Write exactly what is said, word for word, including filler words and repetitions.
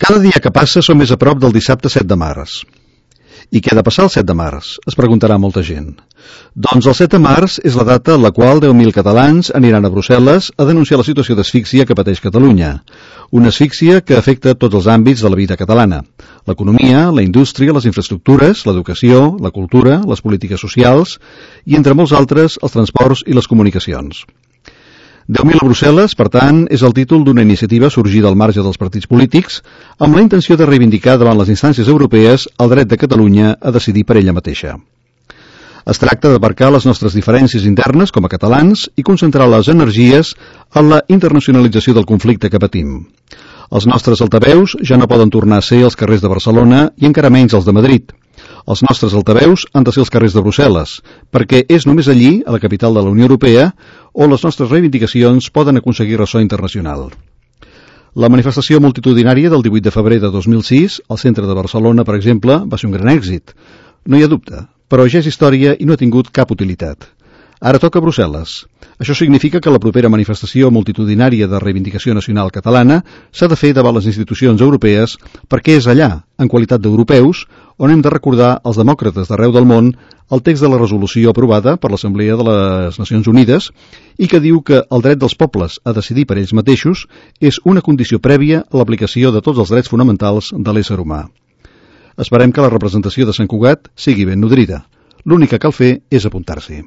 Cada dia que passa som més a prop del dissabte set de març. I què ha de passar el set de març? Es preguntarà molta gent. Doncs el set de març és la data en la qual deu mil catalans aniran a Brussel·les a denunciar la situació d'asfíxia que pateix Catalunya. Una asfíxia que afecta tots els àmbits de la vida catalana. L'economia, la indústria, les infraestructures, l'educació, la cultura, les polítiques socials i, entre molts altres, els transports i les comunicacions. deu mil a Brussel·les, per tant, és el títol d'una iniciativa sorgida al marge dels partits polítics amb la intenció de reivindicar davant les instàncies europees el dret de Catalunya a decidir per ella mateixa. Es tracta d'aparcar les nostres diferències internes com a catalans i concentrar les energies en la internacionalització del conflicte que patim. Els nostres altaveus ja no poden tornar a ser els carrers de Barcelona i encara menys els de Madrid. Els nostres altaveus han de ser els carrers de Brussel·les, perquè és només allí, a la capital de la Unió Europea, on les nostres reivindicacions poden aconseguir ressò internacional. La manifestació multitudinària del divuit de febrer de dos mil sis, al centre de Barcelona, per exemple, va ser un gran èxit. No hi ha dubte, però ja és història i no ha tingut cap utilitat. Ara toca Brussel·les. Això significa que la propera manifestació multitudinària de reivindicació nacional catalana s'ha de fer davant les institucions europees perquè és allà, en qualitat d'europeus, on hem de recordar als demòcrates d'arreu del món el text de la resolució aprovada per l'Assemblea de les Nacions Unides i que diu que el dret dels pobles a decidir per ells mateixos és una condició prèvia a l'aplicació de tots els drets fonamentals de l'ésser humà. Esperem que la representació de Sant Cugat sigui ben nodrida. L'únic que cal fer és apuntar-s'hi.